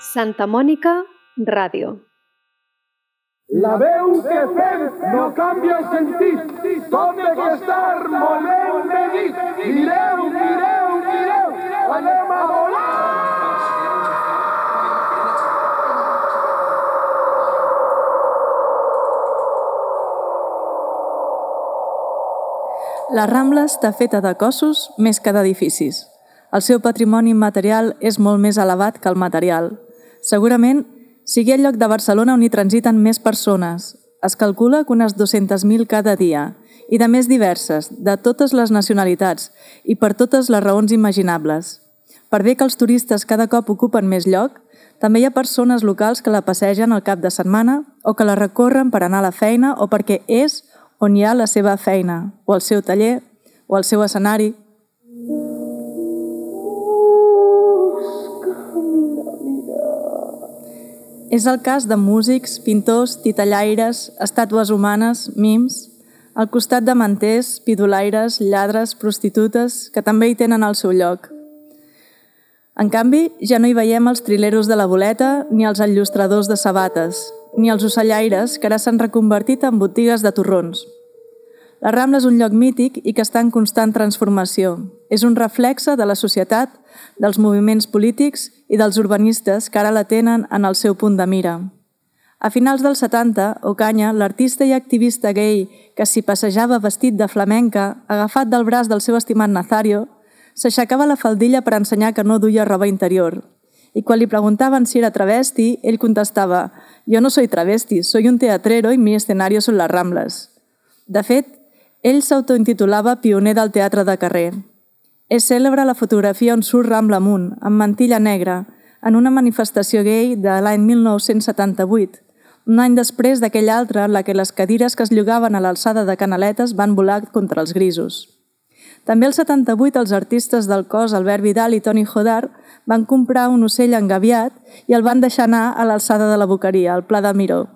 Santa Mònica Ràdio. La veu que fem no canvia el sentit, tot ha d'estar molt ben dit. Mireu, mireu, mireu, anem a volar! La Rambla està feta de cossos més que d'edificis. El seu patrimoni immaterial és molt més elevat que el material. Segurament sigui el lloc de Barcelona on hi transiten més persones. Es calcula que unes 200.000 cada dia, i de més diverses, de totes les nacionalitats i per totes les raons imaginables. Per bé que els turistes cada cop ocupen més lloc, també hi ha persones locals que la passegen al cap de setmana o que la recorren per anar a la feina o perquè és on hi ha la seva feina, o el seu taller, o el seu escenari. És el cas de músics, pintors, titellaires, estàtues humanes, mims, al costat de manters, pidolaires, lladres, prostitutes, que també hi tenen el seu lloc. En canvi, ja no hi veiem els trileros de la boleta, ni els enllustradors de sabates, ni els ocellaires, que ara s'han reconvertit en botigues de torrons. La Rambla és un lloc mític i que està en constant transformació. És un reflexe de la societat, dels moviments polítics i dels urbanistes que ara la tenen en el seu punt de mira. A finals dels 70, Ocaña, l'artista i activista gay que s'hi passejava vestit de flamenca, agafat del braç del seu estimat Nazario, s'aixecava la faldilla per ensenyar que no duia roba interior. I quan li preguntaven si era travesti, ell contestava: «Jo no soy travesti, soy un teatrero y mi escenario son las Ramblas». De fet, ell s'autointitulava pioner del teatre de carrer. És cèlebre la fotografia on surt Rambla amunt, amb mantilla negra, en una manifestació gay de l'any 1978, un any després d'aquell altre en la que les cadires que es llogaven a l'alçada de Canaletes van volar contra els grisos. També al 78 els artistes del cos Albert Vidal i Toni Jodar van comprar un ocell engaviat i el van deixar anar a l'alçada de la Boqueria, al Pla de Miró,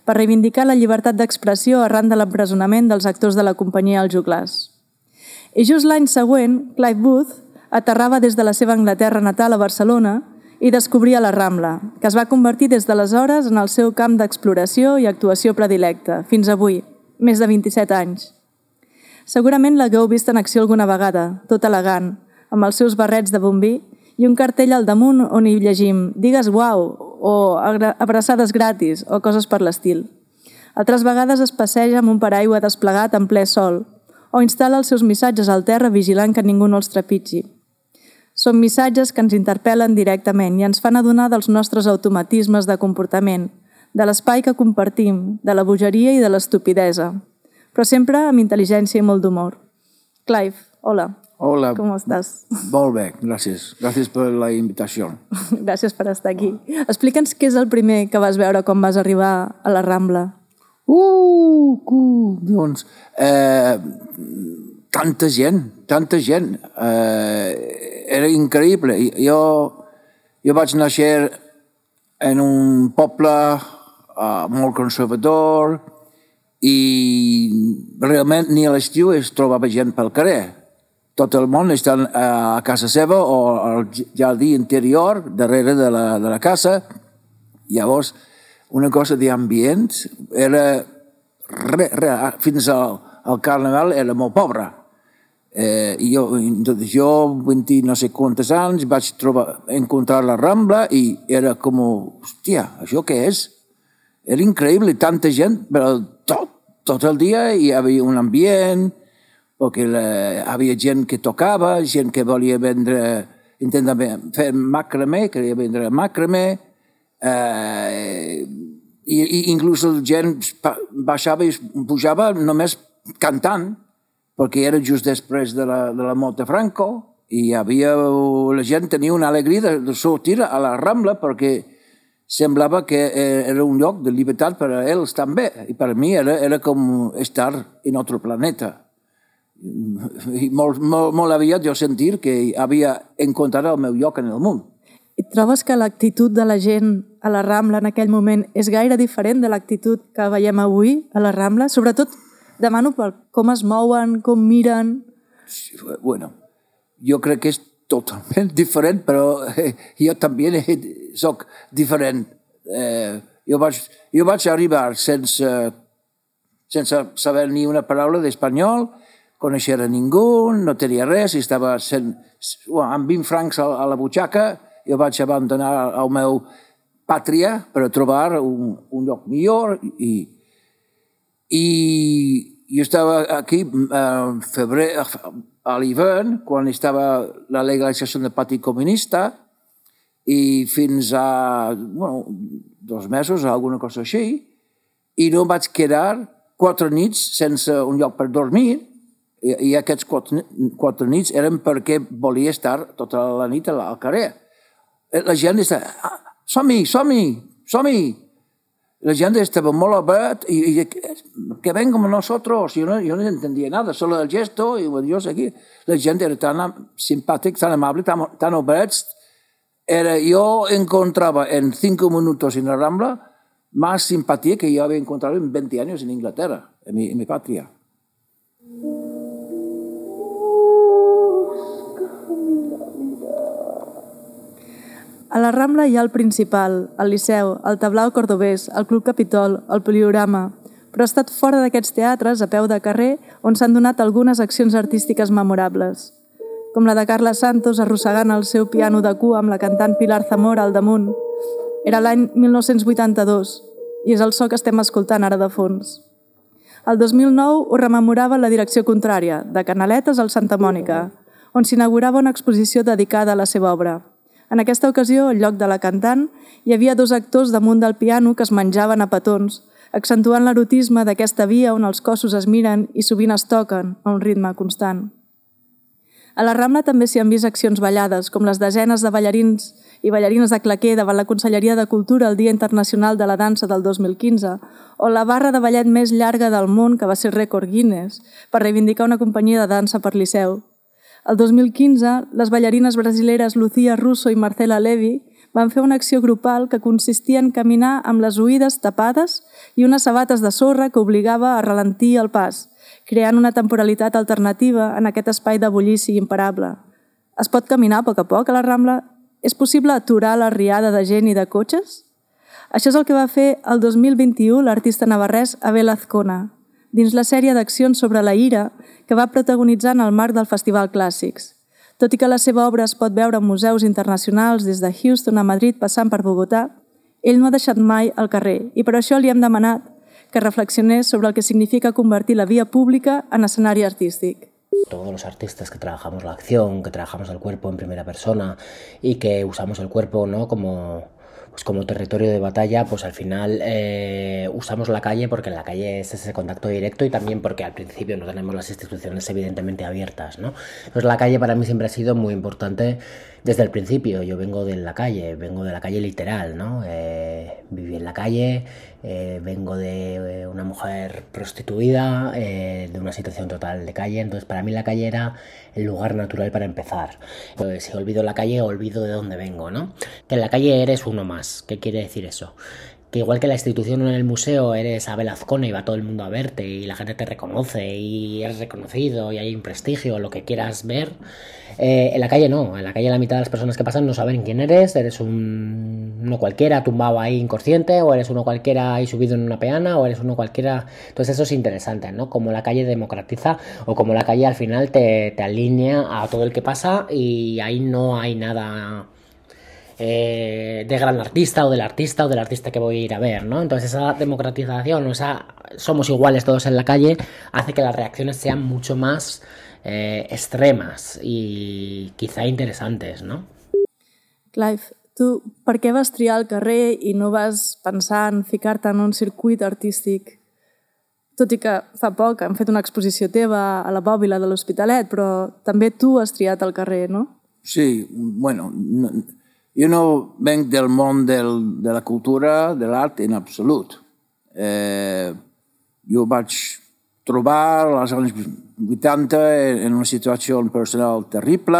per reivindicar la llibertat d'expressió arran de l'empresonament dels actors de la companyia Els Joglars. I just l'any següent, Clive Booth aterrava des de la seva Anglaterra natal a Barcelona i descobria la Rambla, que es va convertir des d'aleshores en el seu camp d'exploració i actuació predilecte, fins avui, més de 27 anys. Segurament l'hagueu vist en acció alguna vegada, tot elegant, amb els seus barrets de bombí i un cartell al damunt on hi llegim «Digues uau» o «abraçades gratis» o coses per l'estil. Altres vegades es passeja amb un paraigua desplegat en ple sol o instal·la els seus missatges al terra vigilant que ningú no els trepitgi. Són missatges que ens interpel·len directament i ens fan adonar dels nostres automatismes de comportament, de l'espai que compartim, de la bogeria i de l'estupidesa, però sempre amb intel·ligència i molt d'humor. Clive, hola. Hola. Com estàs? Molt bé, gràcies. Gràcies per la invitació. Gràcies per estar aquí. Explica'ns què és el primer que vas veure quan vas arribar a la Rambla. Doncs, tanta gent. Era increïble. Jo vaig néixer en un poble molt conservador i realment ni a l'estiu es trobava gent pel carrer. Tot el món està a casa seva o al jardí interior, darrere de la casa. Llavors, una cosa d'ambient era... fins al Carnaval era molt pobre. Jo 20 no sé quantes anys, vaig encontrar la Rambla i era com, hòstia, això què és? Era increïble, tanta gent, però tot el dia hi havia un ambient, perquè hi havia gent que tocava, gent que volia intentar fer macramé, que volia vendre macramé, i inclús la gent baixava i pujava només cantant, perquè era just després de la mort de Franco, i la gent tenia una alegria de sortir a la Rambla perquè semblava que era un lloc de llibertat per a ells també, i per a mi era com estar en un altre planeta. I molt aviat jo sentir que havia encontrat el meu lloc en el món. I trobes que l'actitud de la gent a la Rambla en aquell moment és gaire diferent de l'actitud que veiem avui a la Rambla? Sobretot demano per com es mouen, com miren... Bueno, jo crec que és totalment diferent, però jo també soc diferent. Jo vaig arribar sense saber ni una paraula d'espanyol, conèixer a ningú, no tenia res, estava amb 20 francs a la butxaca, jo vaig abandonar el meu pàtria per trobar un lloc millor i jo estava aquí febrer, a l'hivern, quan estava la legalització del Partit Comunista, i fins a 2 mesos, alguna cosa així, i no vaig quedar 4 nits sense un lloc per dormir, i aquests 4 nits eren perquè volia estar tota la nit al carrer. La gent estava, som-hi! La gent estava molt obert i que venga con nosotros. Yo no entendía nada, solo el gesto, y bueno, yo seguí. La gente era tan simpática, tan amable, tan oberts. Yo encontraba en 5 minutos en la Rambla más simpatía que yo había encontrado en 20 años en Inglaterra, en mi patria. A la Rambla hi ha el Principal, el Liceu, el Tablao Cordobès, el Club Capitol, el Poliorama, però ha estat fora d'aquests teatres, a peu de carrer, on s'han donat algunes accions artístiques memorables, com la de Carles Santos arrossegant el seu piano de cua amb la cantant Pilar Zamora al damunt. Era l'any 1982 i és el so que estem escoltant ara de fons. El 2009 ho rememorava la direcció contrària, de Canaletes al Santa Mònica, on s'inaugurava una exposició dedicada a la seva obra. En aquesta ocasió, al lloc de la cantant, hi havia 2 actors damunt del piano que es menjaven a petons, accentuant l'erotisme d'aquesta via on els cossos es miren i sovint es toquen a un ritme constant. A la Rambla també s'hi han vist accions ballades, com les desenes de ballarins i ballarines de claquer davant la Conselleria de Cultura el Dia Internacional de la Dansa del 2015, o la barra de ballet més llarga del món, que va ser rècord Guinness, per reivindicar una companyia de dansa per Liceu. El 2015, les ballarines brasileres Lucía Russo i Marcela Levi van fer una acció grupal que consistia en caminar amb les oïdes tapades i unes sabates de sorra que obligava a ralentir el pas, creant una temporalitat alternativa en aquest espai de bullici imparable. Es pot caminar a poc a la Rambla? És possible aturar la riada de gent i de cotxes? Això és el que va fer el 2021 l'artista navarrès Abel Azcona, dins la sèrie d'accions sobre la ira que va protagonitzar en el marc del Festival Clàssics. Tot i que la seva obra es pot veure en museus internacionals des de Houston a Madrid passant per Bogotà, ell no ha deixat mai el carrer i per això li hem demanat que reflexionés sobre el que significa convertir la via pública en escenari artístic. Todos los artistas que trabajamos la acción, que trabajamos el cuerpo en primera persona y que usamos el cuerpo, ¿no?, como territorio de batalla, pues al final usamos la calle porque en la calle es ese contacto directo y también porque al principio no tenemos las instituciones evidentemente abiertas, ¿no? Entonces la calle para mí siempre ha sido muy importante desde el principio. Yo vengo de la calle literal, ¿no? Viví en la calle, vengo de una mujer prostituida, de una situación total de calle, entonces para mí la calle era el lugar natural para empezar. Pues si olvido la calle, olvido de dónde vengo, ¿no? Que en la calle eres uno más. ¿Qué quiere decir eso? Que igual que en la institución o en el museo eres Abel Azcona y va todo el mundo a verte y la gente te reconoce y eres reconocido y hay un prestigio, lo que quieras ver, en la calle no. En la calle la mitad de las personas que pasan no saben quién eres uno cualquiera tumbado ahí inconsciente, o eres uno cualquiera ahí subido en una peana, o eres uno cualquiera. Entonces eso es interesante, ¿no? Como la calle democratiza o como la calle al final te alinea a todo el que pasa y ahí no hay nada de gran artista o del artista que voy a ir a ver, ¿no? Entonces esa democratización, somos iguales todos en la calle, hace que las reacciones sean mucho más extremas i quizá interessantes, no? Clive, tu per què vas triar el carrer i no vas pensar en ficar-te en un circuit artístic? Tot i que fa poc han fet una exposició teva a la Bòbila de l'Hospitalet, però també tu has triat el carrer, no? Sí, bueno, jo no venc del món de la cultura, de l'art en absolut. Jo vaig trobar als anys 80 en una situació personal terrible.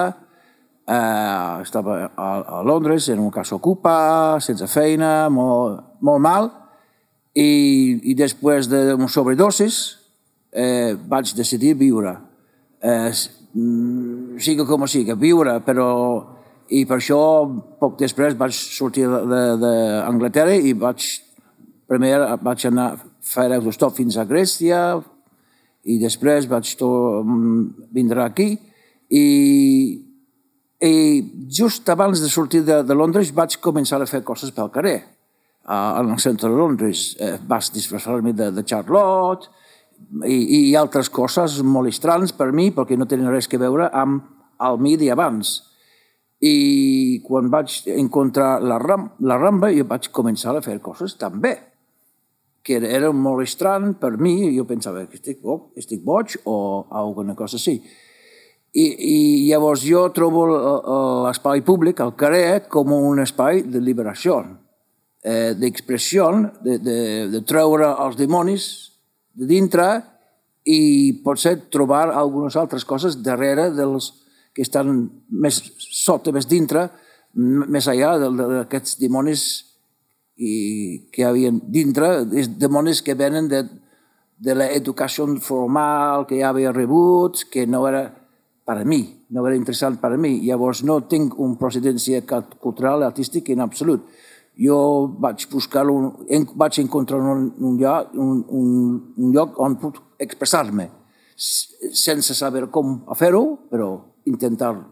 Estava a Londres, en una casa ocupa, sense feina, molt mal. I després d'una sobredosis vaig decidir viure. Siga com siga, viure, però I per això, poc després, vaig sortir d'Anglaterra i primer vaig anar a fer autostop fins a Grècia i després vaig vindre aquí i just abans de sortir de Londres vaig començar a fer coses pel carrer. En el centre de Londres vaig disfressar-me de Charlotte i altres coses molt estrans per mi perquè no tenen res a veure amb el mi d'abans. I quan vaig encontrar la Rambla jo vaig començar a fer coses també, que era molt estrany per mi. Jo pensava que estic boig o alguna cosa així. I llavors jo trobo l'espai públic, el carrer, com un espai de liberació, d'expressió, de treure els dimonis de dintre i potser trobar algunes altres coses darrere dels que estan més sota, més dintre, més allà d'aquests dimonis que hi havia dintre, dimonis que venen de l'educació formal que ja havia rebut, que no era per a mi, no era interessant per a mi. Llavors no tinc una procedència cultural, artística en absolut. Jo vaig vaig encontrar un lloc on puc expressar-me, sense saber com fer-ho, però intentar-lo.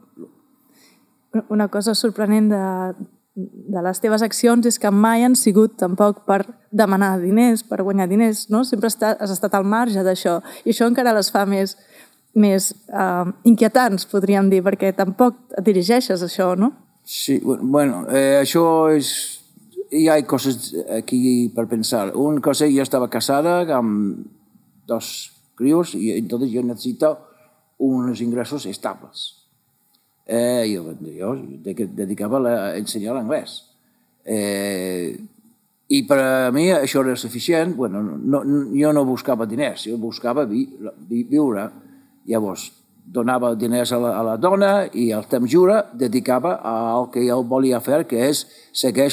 Una cosa sorprenent de les teves accions és que mai han sigut tampoc per demanar diners, per guanyar diners, no? Sempre has estat al marge d'això, i això encara les fa més inquietants, podríem dir, perquè tampoc et dirigeixes a això, no? Sí, bueno, això és... Hi ha coses aquí per pensar. Una cosa, jo estava casada amb 2 crios i entonces yo necesito unos ingressos estables. Jo dedicava a ensenyar l'anglès. I per a mi això era suficient. Bueno, jo no buscava diners, jo buscava viure. Llavors, donava diners a la dona i el temps lliure dedicava al que jo volia fer, que és seguir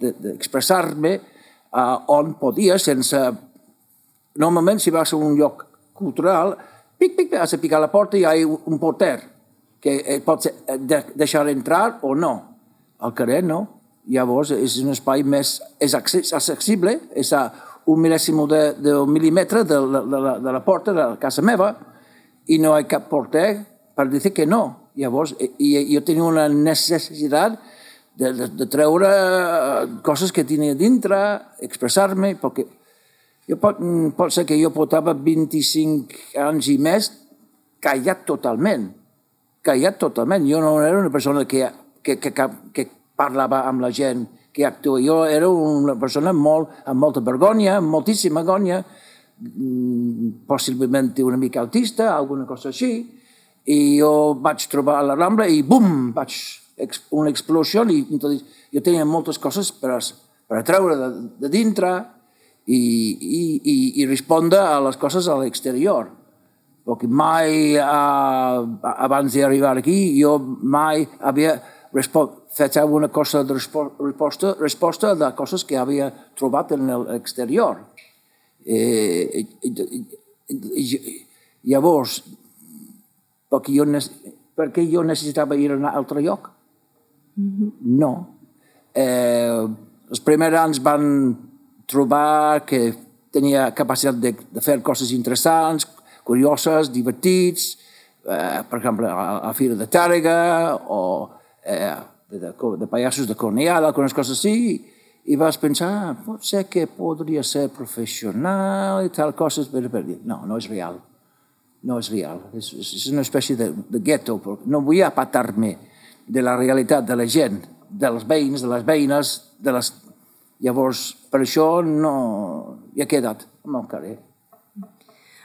d'expressar-me on podia sense... Normalment, si vas a un lloc cultural, has de picar la porta i hi ha un porter que et pot deixar entrar o no. Al carrer no. Llavors és un espai més accessible, és a un mil·lèsim d'un mil·límetre de la porta de la casa meva i no hi ha cap porter per dir que no. Llavors jo tenia una necessitat de treure coses que tenia dintre, expressar-me, perquè pot ser que jo portava 25 anys i més callat totalment. Jo no era una persona que parlava amb la gent, que actua. Jo era una persona amb molta vergonya, amb moltíssima vergonya, possiblement una mica autista, alguna cosa així, i jo vaig trobar a la Rambla i bum, una explosió, i jo tenia moltes coses per treure de dintre i respondre a les coses a l'exterior. Perquè mai, abans d'arribar aquí, jo mai havia fet alguna cosa de resposta de coses que havia trobat en l'exterior. Llavors, per què jo necessitava ir a un altre lloc? No. Els primers anys van trobar que tenia capacitat de fer coses interessants, curioses, divertits, per exemple, a la Fira de Tàrrega o de pallassos de Cornellà, algunes coses així, i vas pensar, pot ser que podria ser professional i tal coses, però no és real. No és real. És una espècie de gueto. No vull apartar-me de la realitat de la gent, dels veïns, de les veïnes, Llavors, per això no hi ha quedat amb el carrer.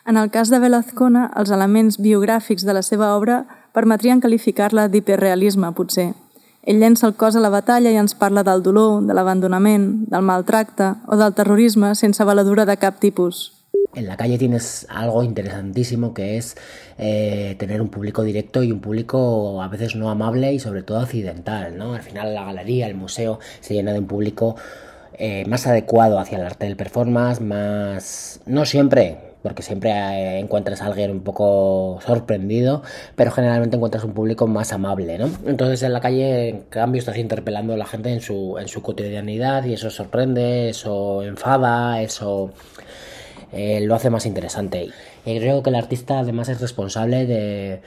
En el cas de Bela Azcona, els elements biogràfics de la seva obra permetrien qualificar-la d'hiperrealisme, potser. Ell llença el cos a la batalla i ens parla del dolor, de l'abandonament, del maltracte o del terrorisme sense valedura de cap tipus. En la calle tienes algo interesantísimo que es tener un público directo y un público a veces no amable y sobre todo occidental, ¿no? Al final la galería, el museo se llena de un público más adecuado hacia el arte del performance, más... no siempre, porque siempre encuentras a alguien un poco sorprendido, pero generalmente encuentras un público más amable, ¿no? Entonces en la calle, en cambio, estás interpelando a la gente en su cotidianidad y eso sorprende, eso enfada, eso lo hace más interesante. Y creo que el artista además es responsable de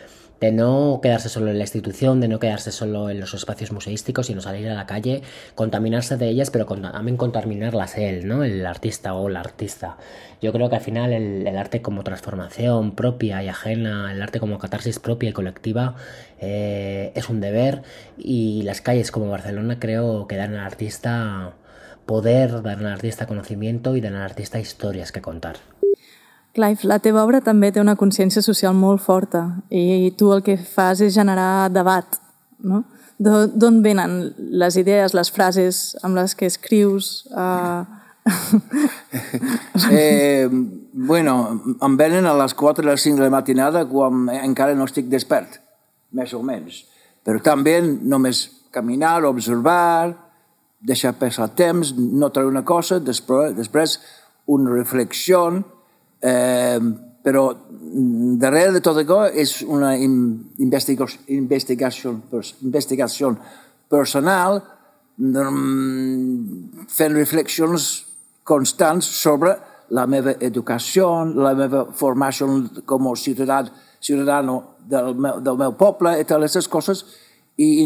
no quedarse solo en la institución, de no quedarse solo en los espacios museísticos, sino salir a la calle, contaminarse de ellas, pero también contaminarlas él, ¿no? El artista o la artista. Yo creo que al final el arte como transformación propia y ajena, el arte como catarsis propia y colectiva, es un deber, y las calles como Barcelona creo que dan al artista poder, dan al artista conocimiento y dan al artista historias que contar. Clive, la teva obra també té una consciència social molt forta i tu el que fas és generar debat, no? D'on venen les idees, les frases amb les que escrius? Bueno, em venen a les 4 o les 5 de la matinada quan encara no estic despert, més o menys. Però també només caminar, observar, deixar passar temps, notar una cosa, després una reflexió. Però darrere de tot això és una investigació personal, fent reflexions constants sobre la meva educació, la meva formació com a ciutadano del meu poble i totes aquestes coses, i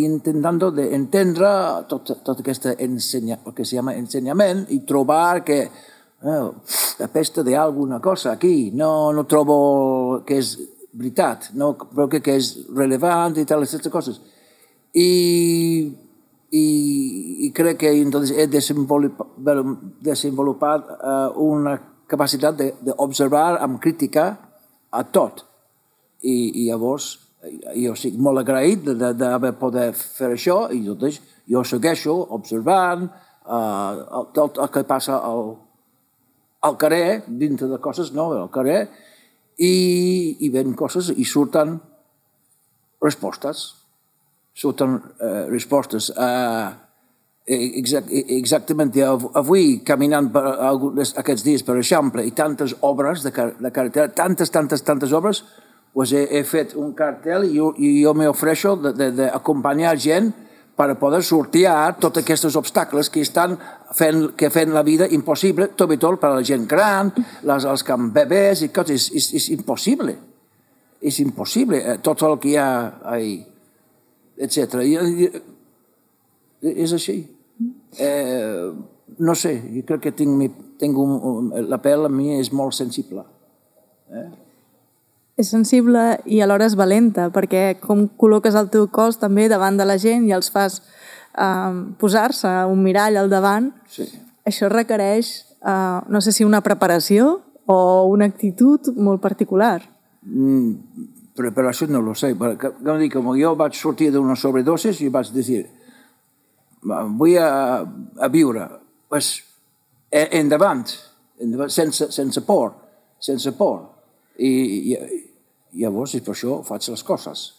intentant entendre tot aquest que se llama ensenyament i trobar que apesta de alguna cosa aquí, no trobo que és veritat, no creo que és relevant i tal, aquestes coses. I crec que entonces he desenvolupat una capacitat d'observar amb crítica a tot. I llavors jo estic molt agraït d'haver poder fer això, i llavors jo segueixo observant tot el que passa al carrer, dintre de coses, no, al carrer, i ven coses i surten respostes. Exactament, avui, caminant aquests dies, per exemple, i tantes obres de carretera, tantes obres, pues he fet un cartel i jo m'ofereixo d'acompanyar gent per poder sortear tots aquests obstacles que estan fent la vida impossible, sobretot per a la gent gran, els que han bebès i coses. És impossible. És impossible. Tot el que hi ha ahí, etc. És així. No sé, jo crec que la pell a mi és molt sensible. És sensible i alhora és valenta, perquè com col·loques el teu cos també davant de la gent i els fas posar-se un mirall al davant, sí. Això requereix, no sé si una preparació o una actitud molt particular. Preparació no lo sé, perquè com jo vaig sortir d'una sobredosis i vaig dir vull a viure, pues endavant, sense por, i llavors per això faig les coses.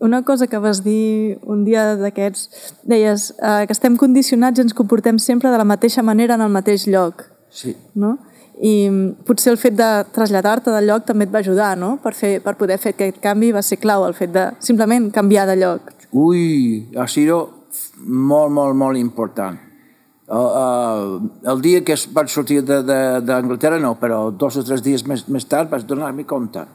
Una cosa que vas dir un dia d'aquests, deies que estem condicionats i ens comportem sempre de la mateixa manera en el mateix lloc. Sí. No? I potser el fet de traslladar-te del lloc també et va ajudar, no? Per poder fer aquest canvi va ser clau, el fet de simplement canviar de lloc. Ui, ha sido molt important. El dia que vaig sortir d'Anglaterra, no, però 2 o 3 dies més tard vaig donar-me compte.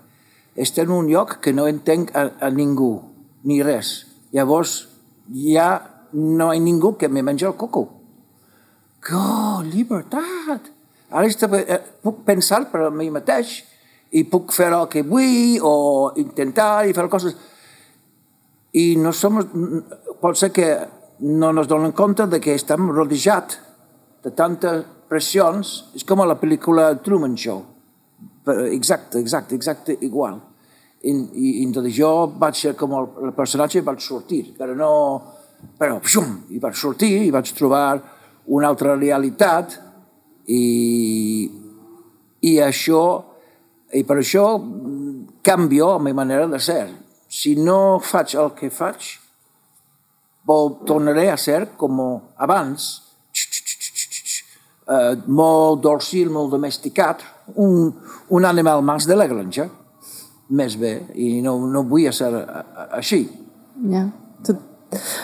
Estic en un lloc que no entenc a ningú, ni res. Llavors ja no hi ha ningú que me mengi el coco. Oh, llibertat! Ara puc pensar per a mi mateix i puc fer el que vull o intentar i fer coses. I no som... Pot ser que no ens donem compte que estem rodejats de tantes pressions. És com a la pel·lícula Truman Show. Exacte, igual. I entonces jo vaig ser com el personatge i vaig sortir, però i vaig sortir i vaig trobar una altra realitat i per això canvio la meva manera de ser. Si no faig el que faig, tornaré a ser com abans, molt dòcil, molt domesticat, un animal més de la granja, més bé, i no vull ser així. Ja.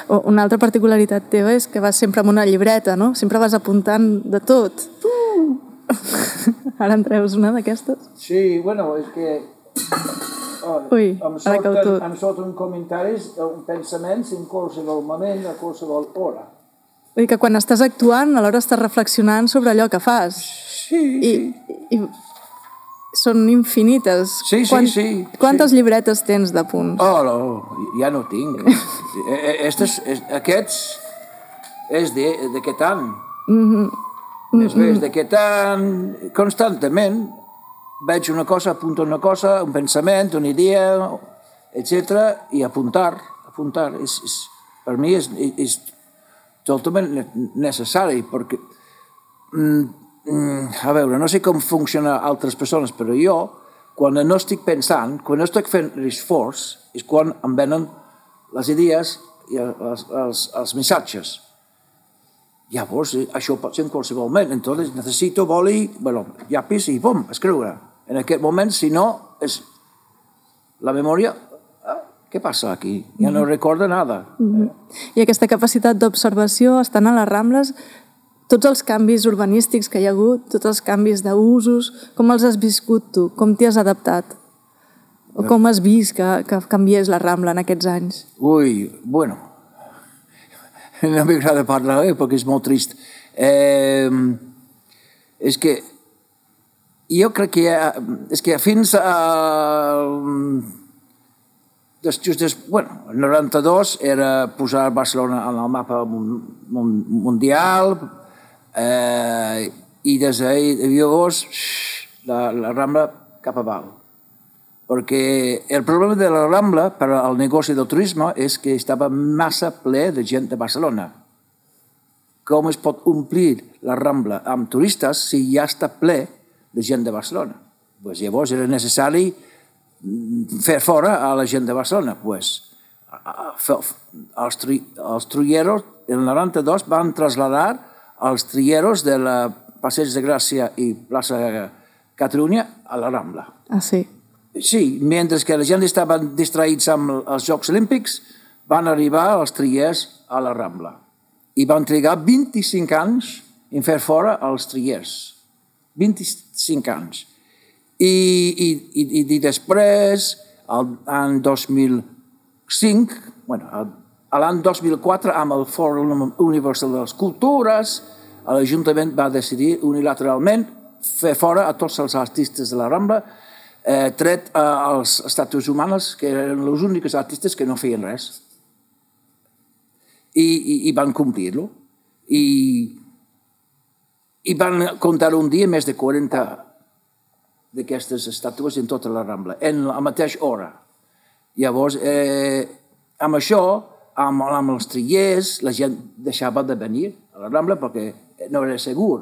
Una altra particularitat teva és que vas sempre amb una llibreta, no? Sempre vas apuntant de tot. Ara en treus una d'aquestes? Sí, bueno, és que... Ui, ara cau tot. Em surten comentaris, pensaments en qualsevol moment, a qualsevol hora. Vull dir que quan estàs actuant, alhora estàs reflexionant sobre allò que fas. Sí. I són infinites. Sí. Quantes llibretes tens de punts? Oh, no, ja no tinc. Aquests és d'aquest any. Més bé, és d'aquest any. Constantment veig una cosa, apunto una cosa, un pensament, una idea, etc. i apuntar. Per mi és totalment necessari, perquè... a veure, no sé com funciona altres persones, però jo, quan no estic pensant, quan no estic fent l'esforç, és quan em venen les idees i els missatges. Llavors, això pot ser en qualsevol moment. Entonces, necessito boli, llapis i pum, escriure. En aquest moment, si no, és la memòria... Què passa aquí? Ja no recordo nada. I aquesta capacitat d'observació, estan a les Rambles, tots els canvis urbanístics que hi ha hagut, tots els canvis d'usos, com els has viscut tu? Com t'hi has adaptat? O com has vist que canviés la Rambla en aquests anys? Ui, bueno, no m'agrada parlar perquè és molt trist. És que jo crec que fins a... el 92 era posar Barcelona en el mapa mundial, i des de llavors la Rambla cap avall. Perquè el problema de la Rambla per al negoci del turisme és que estava massa ple de gent de Barcelona. Com es pot omplir la Rambla amb turistes si ja està ple de gent de Barcelona? Llavors era necessari fer fora a la gent de Barcelona. Els trulleros en el 92 van traslladar els trilleros de la Passeig de Gràcia i plaça Catalunya a la Rambla. Ah, sí? Sí, mentre que la gent estava distraïts amb els Jocs Olímpics, van arribar els trillers a la Rambla. I van trigar 25 anys en fer fora els trillers. 25 anys. I després, l'any 2005, l'any 2004, amb el Fòrum Universal de les Cultures, l'Ajuntament va decidir unilateralment fer fora a tots els artistes de la Rambla, tret als estàtues humanes, que eren els únics artistes que no feien res. I van complir-lo. I van comptar un dia més de 40 d'aquestes estàtues en tota la Rambla, en la mateixa hora. Llavors, amb això, amb els trillers, la gent deixava de venir a la Rambla perquè no era segur.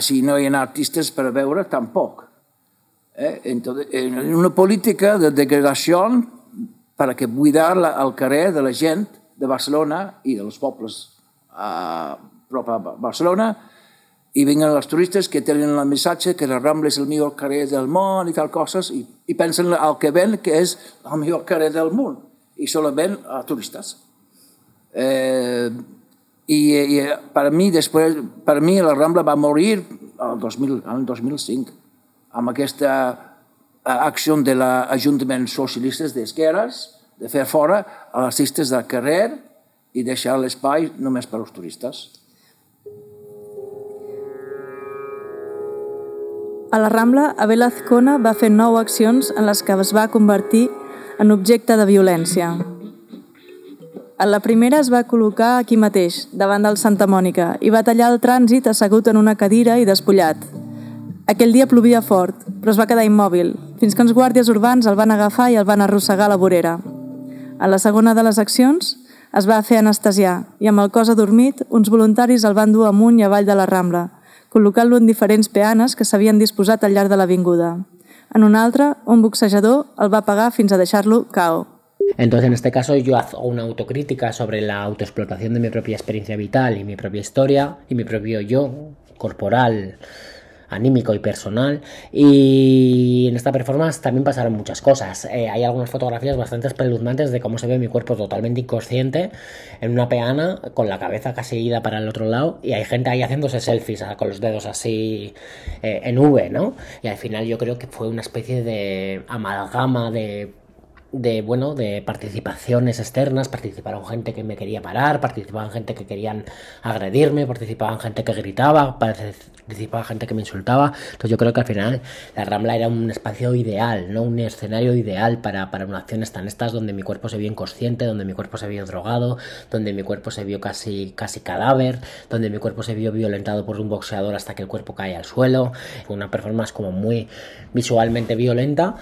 Si no hi ha artistes per veure, tampoc. En una política de degradació per buidar el carrer de la gent de Barcelona i dels pobles prop a Barcelona, i venen els turistes que tenen el missatge que la Rambla és el millor carrer del món i tal coses, i pensen al que ven que és el millor carrer del món, i solament a turistes. I per mi la Rambla va morir el 2005, amb aquesta acció de l'Ajuntament Socialistes d'Esquerres de fer fora els artistes del carrer i deixar l'espai només per als turistes. A la Rambla, Abel Azcona va fer 9 accions en les que es va convertir en objecte de violència. A la primera es va col·locar aquí mateix, davant del Santa Mònica, i va tallar el trànsit assegut en una cadira i despullat. Aquell dia plovia fort, però es va quedar immòbil, fins que uns guàrdies urbans el van agafar i el van arrossegar a la vorera. A la segona de les accions es va fer anestesiar i amb el cos adormit uns voluntaris el van dur amunt i avall de la Rambla, col·locant-lo en diferents peanes que s'havien disposat al llarg de l'avinguda. En una altra, un boxejador el va pegar fins a deixar-lo KO. Entonces, en este caso, yo hago una autocrítica sobre la autoexplotación de mi propia experiencia vital y mi propia historia y mi propio yo corporal, anímico y personal. Y en esta performance también pasaron muchas cosas. Hay algunas fotografías bastante espeluznantes de cómo se ve mi cuerpo totalmente inconsciente en una peana con la cabeza casi ida para el otro lado, y hay gente ahí haciéndose selfies con los dedos así en V, ¿no? Y al final yo creo que fue una especie de amalgama de participaciones externas. Participaron gente que me quería parar, participaban gente que querían agredirme, participaban gente que gritaba, participaba gente que me insultaba. Entonces yo creo que al final la Rambla era un espacio ideal, ¿no? Un escenario ideal para unas acciones tan estas, donde mi cuerpo se vio inconsciente, donde mi cuerpo se vio drogado, donde mi cuerpo se vio casi cadáver, donde mi cuerpo se vio violentado por un boxeador hasta que el cuerpo cae al suelo. Fue una performance como muy visualmente violenta.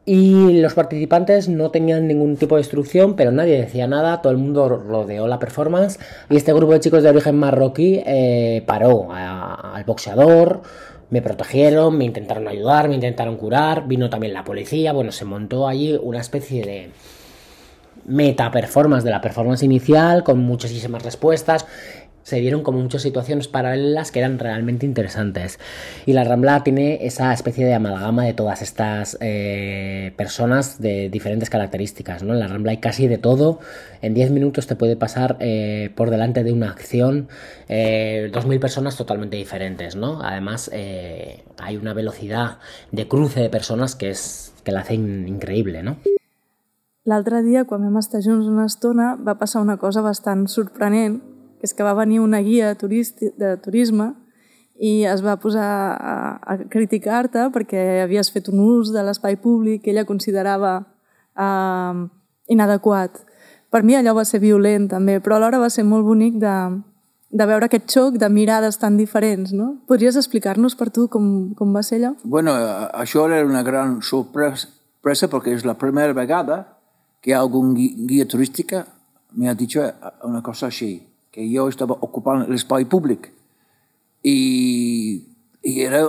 Y los participantes no tenían ningún tipo de instrucción, pero nadie decía nada, todo el mundo rodeó la performance, y este grupo de chicos de origen marroquí paró al boxeador, me protegieron, me intentaron ayudar, me intentaron curar, vino también la policía. Bueno, se montó allí una especie de meta performance de la performance inicial con muchísimas respuestas. Se dieron como muchas situaciones paralelas que eran realmente interesantes. Y la Rambla tiene esa especie de amalgama de todas estas personas de diferentes características, ¿no? En la Rambla hay casi de todo. En 10 minutos te puede pasar por delante de una acción 2.000 personas totalmente diferentes, ¿no? Además, hay una velocidad de cruce de personas que la hacen increïble, no? L'altre dia, quan vam estar junts una estona, va passar una cosa bastant sorprenent, que és que va venir una guia de turisme i es va posar a criticar-te perquè havies fet un ús de l'espai públic que ella considerava inadequat. Per mi allò va ser violent també, però alhora va ser molt bonic de veure aquest xoc de mirades tan diferents, no? Podries explicar-nos per tu com va ser allò? Bueno, això era una gran sorpresa perquè és la primera vegada que algun guia turística me ha dicho una cosa així, que yo estaba ocupando el espacio público, y era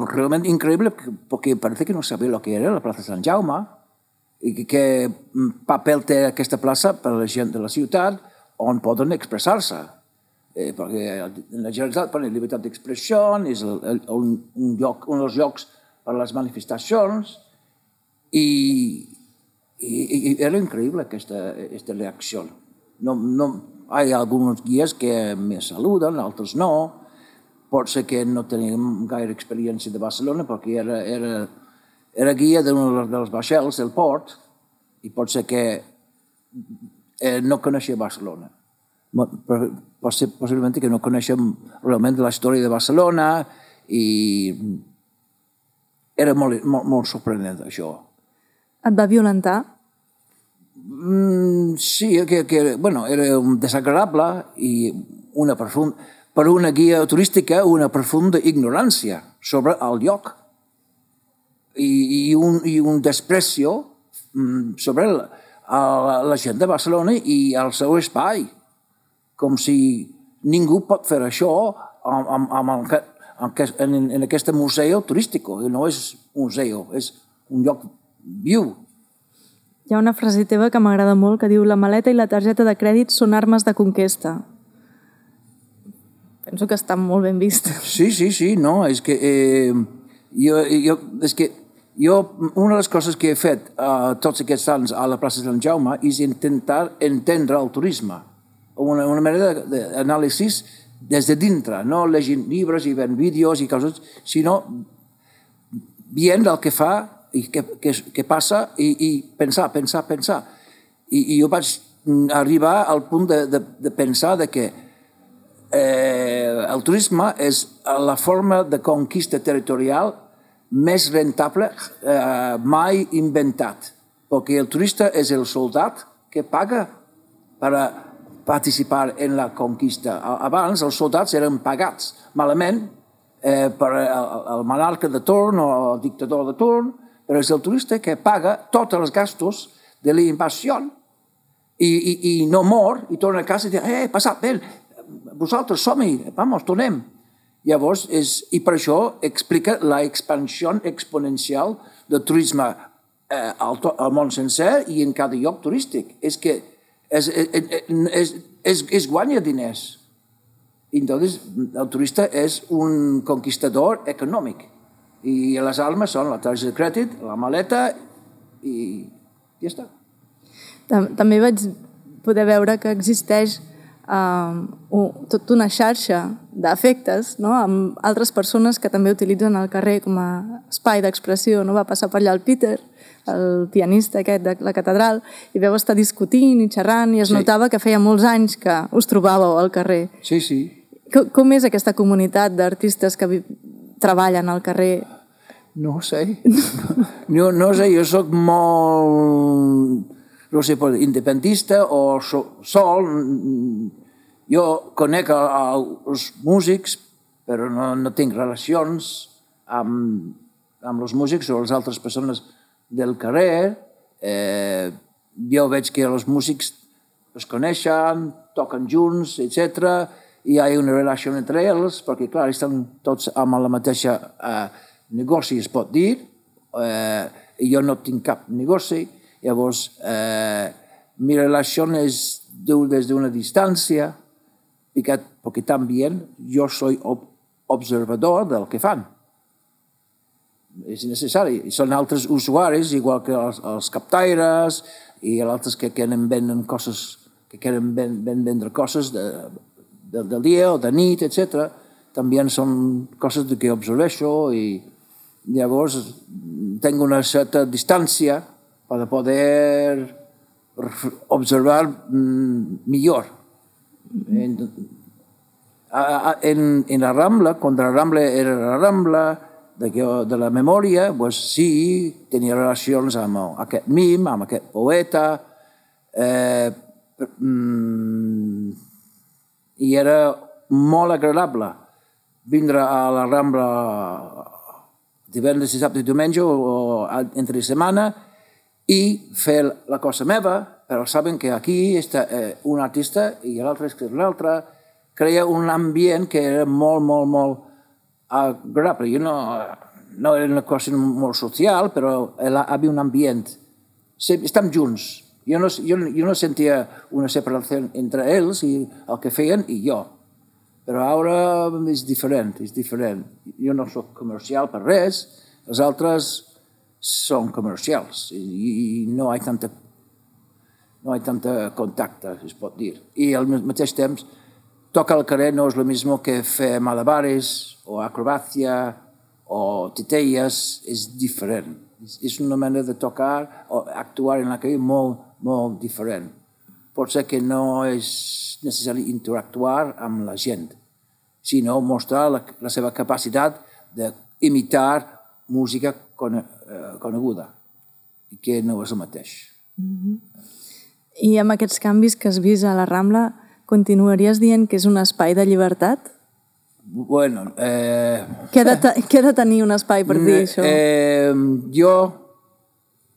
realmente increíble porque parece que no sabía lo que era la Plaza Sant Jaume y qué papel té aquesta plaça per a la gent de la ciutat on poden expressar-se. Perquè la Generalitat per la llibertat d'expressió és un dels llocs per a les manifestacions, i era increïble aquesta reacció. Hay algunos guies que me saluden, altres no. Pot ser que no tenim gaire experiència de Barcelona perquè era guia d'un dels vaixells del port, i pot ser que no coneixia Barcelona. Possiblement que no coneixem realment la història de Barcelona, i era molt sorprenent això. Et va violentar? Sí, bueno, era desagradable, i per una guia turística una profunda ignorància sobre el lloc i un desprecio sobre la gent de Barcelona i el seu espai, com si ningú pot fer això en aquest museu turístic. No és un museu, és un lloc viu. Hi ha una frase teva que m'agrada molt que diu: la maleta i la targeta de crèdit són armes de conquesta. Penso que està molt ben vist. Sí, no, és que una de les coses que he fet tots aquests anys a la plaça Sant Jaume és intentar entendre el turisme, una manera d'anàlisi des de dintre, no llegint llibres i veient vídeos i coses, sinó veient el que fa i què passa, i pensar. I jo vaig arribar al punt de pensar que el turisme és la forma de conquista territorial més rentable mai inventat, perquè el turista és el soldat que paga per participar en la conquista. Abans els soldats eren pagats malament per el monarca de torn o el dictador de torn, però és el turista que paga tots els gastos de la invasió i no mor i torna a casa i diu: passat bé, vosaltres som-hi, vamos, tornem. Llavors, i per això explica la expansió exponencial del turisme al món sencer i en cada lloc turístic. És que es guanya diners. Entonces, el turista és un conquistador econòmic. I les armes són la targeta de crèdit, la maleta i ja està. També vaig poder veure que existeix tota una xarxa d'afectes, no?, amb altres persones que també utilitzen el carrer com a espai d'expressió. No? Va passar per allà el Peter, el pianista aquest de la catedral, i vau estar discutint i xerrant i es notava que feia molts anys que us trobàveu al carrer. Sí, sí. Com és aquesta comunitat d'artistes que treballen al carrer? No ho sé. No sé, jo soc molt, no sé, independentista o sol. Jo conec els músics, però no tinc relacions amb els músics o les altres persones del carrer. Jo veig que els músics es coneixen, toquen junts, etc. I hi ha una relació entre ells, perquè, clar, estan tots amb la mateixa negoci, es pot dir. Jo no tinc cap negoci. Llavors, mi relació és des d'una distància, perquè també jo soy observador del que fan. És necessari. Són altres usuaris, igual que els captaires i els altres que venen coses, que quieren vendre coses del dia o de nit, etc. També són coses que observeixo i llavors tinc una certa distància per poder observar millor. En la Rambla, quan la Rambla era la Rambla de la memòria, pues sí, tenia relacions amb aquest mim, amb aquest poeta, i era molt agradable vindre a la Rambla divendres, dissabte i diumenge o entre setmana i fer la cosa meva, però saben que aquí està un artista i l'altre és un altre. Crea un ambient que era molt, molt, molt agradable. No era una cosa molt social, però hi havia un ambient. Estem junts. Jo no sentia una separació entre ells i el que feien i jo. Però ara és diferent, és diferent. Jo no soc comercial per res, els altres són comercials i no hi ha tanta contacte, es pot dir. I al mateix temps, tocar al carrer no és el mismo que fer malabares o acrobàcia o titelles, és diferent. És una manera de tocar o actuar en la calle molt, molt diferent. Pot ser que no és necessari interactuar amb la gent, sinó mostrar la seva capacitat d'imitar música coneguda, que no és el mateix. I amb aquests canvis que has vist a la Rambla, continuaries dient que és un espai de llibertat? Bueno... Què ha de tenir un espai per dir això? Jo,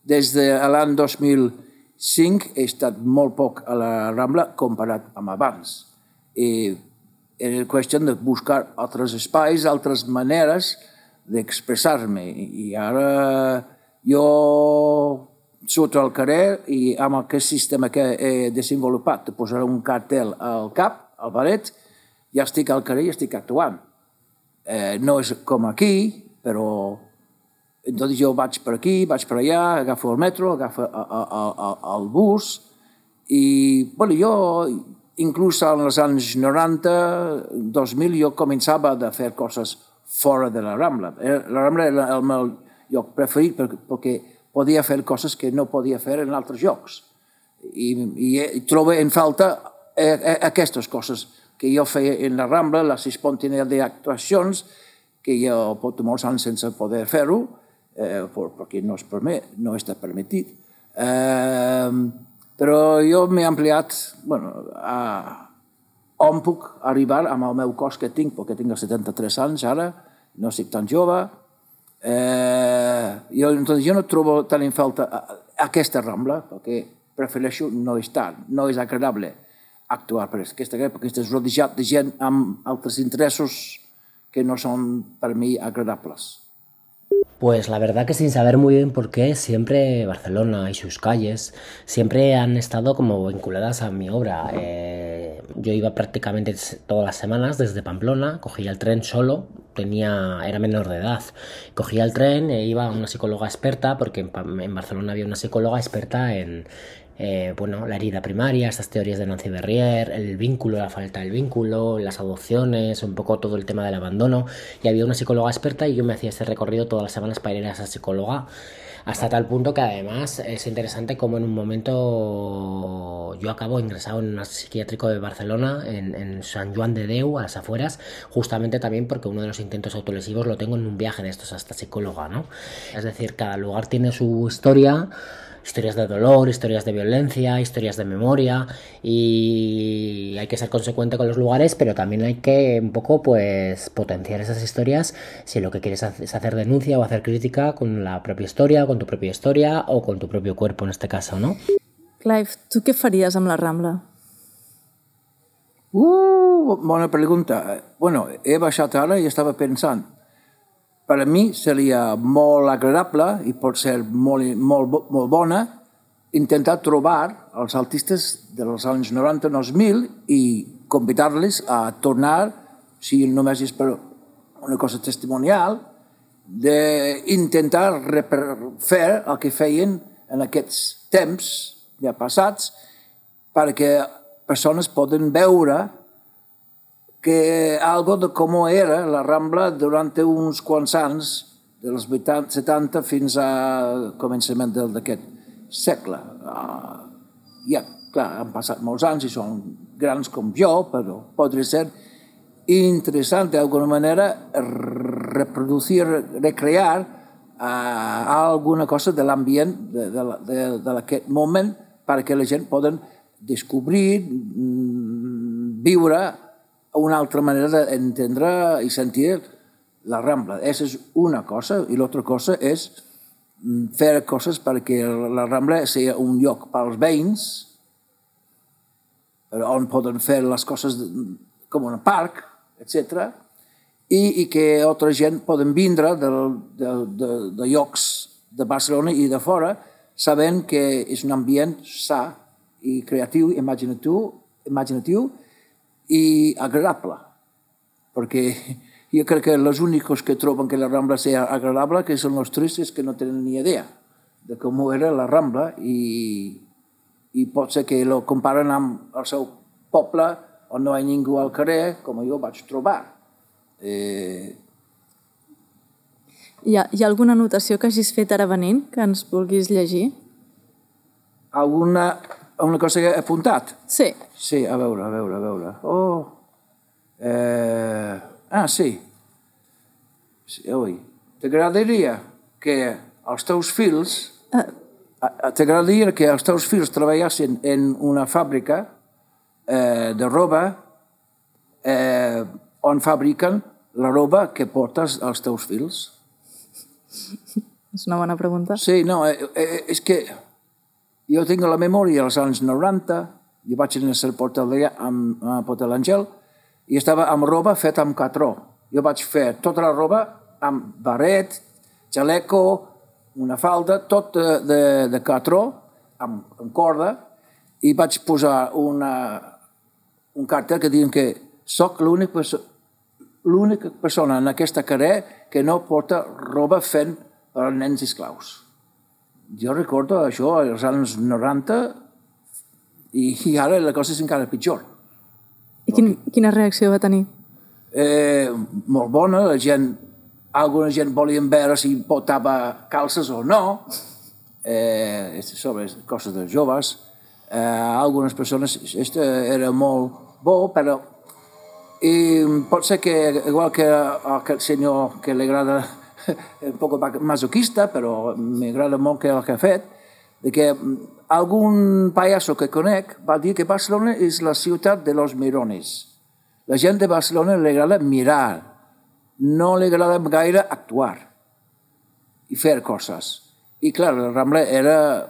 des de l'any 2005, he estat molt poc a la Rambla comparat amb abans. Era qüestió de buscar altres espais, altres maneres d'expressar-me. I ara jo surto al carrer i amb aquest sistema que he desenvolupat de posar un cartel al cap, al baret, ja estic al carrer i estic actuant. No és com aquí, però entonces jo vaig per aquí, vaig per allà, agafo el metro, agafo el bus i bueno, jo inclús als anys 90, 2000, jo començava a fer coses fora de la Rambla. La Rambla era el meu lloc preferit perquè podia fer coses que no podia fer en altres llocs. I trobo en falta aquestes coses que jo feia en la Rambla, les espontaneïtats d'actuacions, que jo porto molts anys sense poder fer-ho, perquè no està permetit. Però jo m'he ampliat on puc arribar amb el meu cos que tinc, perquè tinc 73 anys ara, no estic tan jove. Jo no trobo tant en falta aquesta Rambla, perquè prefereixo no estar, no és agradable actuar per aquesta guerra, perquè estàs rodejat de gent amb altres interessos que no són per mi agradables. Pues la verdad que sin saber muy bien por qué, siempre Barcelona y sus calles siempre han estado como vinculadas a mi obra. Yo iba prácticamente todas las semanas desde Pamplona, cogía el tren solo, era menor de edad. Cogía el tren e iba a una psicóloga experta, porque en Barcelona había una psicóloga experta en la herida primaria, estas teorías de Nancy Berrier, el vínculo, la falta del vínculo, las adopciones, un poco todo el tema del abandono, y había una psicóloga experta y yo me hacía este recorrido todas las semanas para ir a esa psicóloga, hasta tal punto que además es interesante como en un momento yo acabo ingresado en un psiquiátrico de Barcelona, en Sant Joan de Déu, a las afueras, justamente también porque uno de los intentos autolesivos lo tengo en un viaje de estos a esta psicóloga, ¿no? Es decir, cada lugar tiene su historias de dolor, historias de violencia, historias de memoria, y hay que ser consecuente con los lugares, pero también hay que un poco pues potenciar esas historias si lo que quieres es hacer denuncia o hacer crítica con la propia historia, con tu propia historia o con tu propio cuerpo en este caso, ¿no? Clive, tu què faries amb la Rambla? Bona pregunta. Bueno, he baixat ara i estava pensant. Per a mi seria molt agradable i pot ser molt bona intentar trobar els artistes dels anys 90-2000 i convidar-los a tornar, si només és per una cosa testimonial, d'intentar fer el que feien en aquests temps ja passats perquè persones poden veure que algo de com era la Rambla durant uns quants anys, dels 70 fins a començament d'aquest segle. Ja, clar, han passat molts anys i són grans com jo, però podria ser interessant d'alguna manera recrear alguna cosa de l'ambient d'aquest moment perquè la gent poden descobrir, viure una altra manera d'entendre i sentir la Rambla. Aquesta és una cosa, i l'altra cosa és fer coses perquè la Rambla sigui un lloc pels veïns, on poden fer les coses com un parc, etc. I que altra gent poden vindre de llocs de Barcelona i de fora sabent que és un ambient sa i creatiu, imaginatiu i agradable, perquè jo crec que els únics que troben que la Rambla sigui agradable que són els turistes que no tenen ni idea de com era la Rambla i pot ser que lo comparen amb el seu poble on no hi ha ningú al carrer, com jo vaig trobar. Hi ha alguna anotació que hagis fet ara venint que ens vulguis llegir? Una cosa que he apuntat? Sí. Sí, a veure. Sí. Ui. T'agradaria que els teus fills treballassin en una fàbrica de roba on fabriquen la roba que portes als teus fills? És una bona pregunta. Sí, no, és que jo tinc la memòria dels anys 90, jo vaig néixer a Porta l'Àngel i estava amb roba feta amb catró. Jo vaig fer tota la roba amb barret, xaleco, una falda, tot de catró, amb corda, i vaig posar un cartell que diuen que soc l'única persona en aquesta carrer que no porta roba fent per als nens esclaus. Jo recordo això als anys 90 i ara la cosa és encara pitjor. I quina reacció va tenir? Molt bona, alguna gent volien veure si portava calces o no, sobre coses de joves. Algunes persones, era molt bo, però pot ser que, igual que aquest senyor que li agrada un poc masoquista, però m'agrada molt que el que ha fet, que algun payaso que conec va dir que Barcelona és la ciutat de los mirones. La gent de Barcelona li agrada mirar, no li agrada gaire actuar i fer coses. I clar, la Rambla era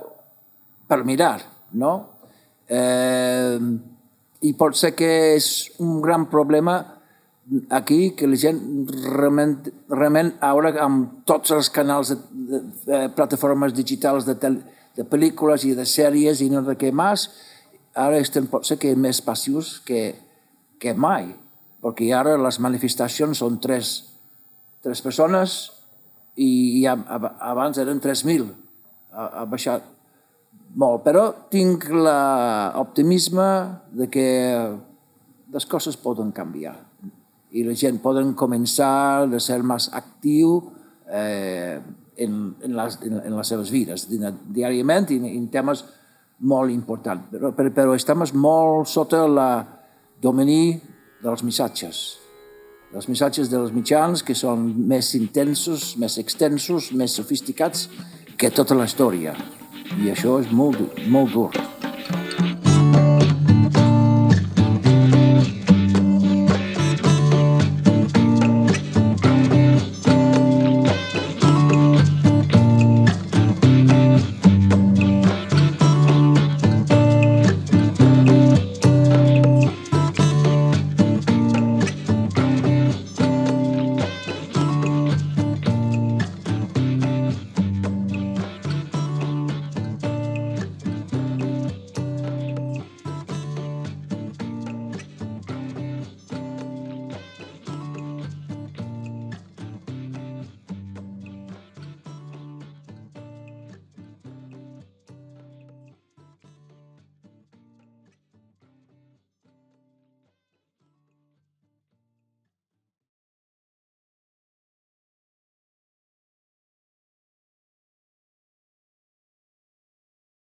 per mirar, no? I pot ser que és un gran problema aquí que la gent realment ara amb tots els canals de plataformes digitals de pel·lícules i de sèries i no de què més, ara estem potser que més passius que mai, perquè ara les manifestacions són tres persones i abans eren 3.000. Ha baixat molt, però tinc l'optimisme de que les coses poden canviar i la gent poden començar a ser més actiu en les seves vides, diàriament i en temes molt importants. Però estem molt sota el domini dels missatges dels mitjans, que són més intensos, més extensos, més sofisticats que tota la història. I això és molt dur.